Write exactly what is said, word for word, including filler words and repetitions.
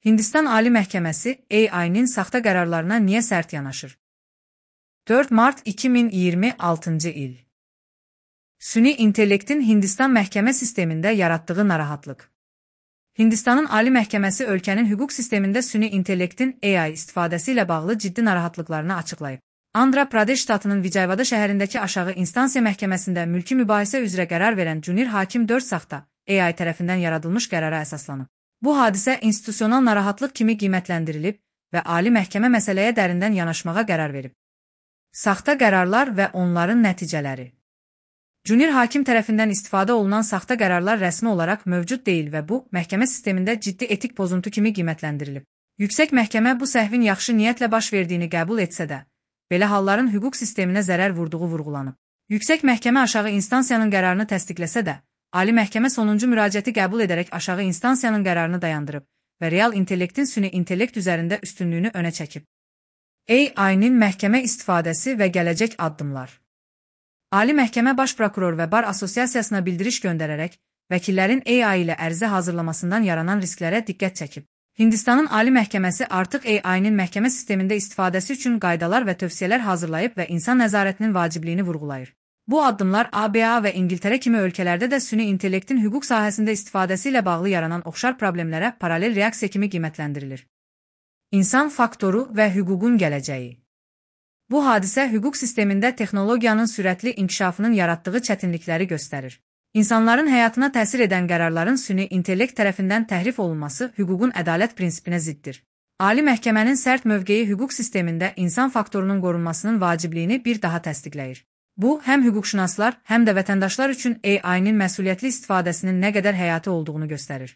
Hindistan Ali Məhkəməsi A I-nin saxta qərarlarına niyə sərt yanaşır? dörd mart iki min iyirmi altıncı il. Süni intellektin Hindistan məhkəmə sistemində yaratdığı narahatlıq. Hindistanın Ali Məhkəməsi ölkənin hüquq sistemində süni intellektin A I istifadəsi ilə bağlı ciddi narahatlıqlarını açıqlayıb. Andhra Pradesh ştatının Vijayawada şəhərindəki aşağı instansiya məhkəməsində mülki mübahisə üzrə qərar verən Junior hakim dörd saxta A I tərəfindən yaradılmış qərara əsaslanıb. Bu hadisə institusional narahatlıq kimi qiymətləndirilib və Ali Məhkəmə məsələyə dərindən yanaşmağa qərar verib. Saxta qərarlar və onların nəticələri. Junior hakim tərəfindən istifadə olunan saxta qərarlar rəsmi olaraq mövcud deyil və bu, məhkəmə sistemində ciddi etik pozuntu kimi qiymətləndirilib. Yüksək məhkəmə bu səhvin yaxşı niyyətlə baş verdiyini qəbul etsə də, belə halların hüquq sisteminə zərər vurduğu vurğulanıb. Yüksək məhkəmə aşağı instansiyanın qərarını təsdiqləsə də, Ali Məhkəmə sonuncu müraciəti qəbul edərək aşağı instansiyanın qərarını dayandırıb və real intellektin süni intellekt üzərində üstünlüyünü önə çəkib. A I-nin məhkəmə istifadəsi və gələcək addımlar. Ali Məhkəmə Baş Prokuror və Bar Assosiasiyasına bildiriş göndərərək, vəkillərin A I ilə ərizə hazırlamasından yaranan risklərə diqqət çəkib. Hindistanın Ali Məhkəməsi artıq A I-nin məhkəmə sistemində istifadəsi üçün qaydalar və tövsiyələr hazırlayıb və insan nəzarətinin vacibliyini vurğulayır. Bu addımlar A B A və İngiltərə kimi ölkələrdə də süni intellektin hüquq sahəsində istifadəsi ilə bağlı yaranan oxşar problemlərə paralel reaksiya kimi qiymətləndirilir. İnsan faktoru və hüququn gələcəyi. Bu hadisə hüquq sistemində texnologiyanın sürətli inkişafının yaratdığı çətinlikləri göstərir. İnsanların həyatına təsir edən qərarların süni intellekt tərəfindən təhrif olunması hüququn ədalət prinsipinə ziddir. Ali Məhkəmənin sərt mövqeyi hüquq sistemində insan faktorunun qorunmasının vacibliyini bir daha təsdiqləyir. Bu, həm hüquqşünaslar, həm də vətəndaşlar üçün A I-nin məsuliyyətli istifadəsinin nə qədər həyati olduğunu göstərir.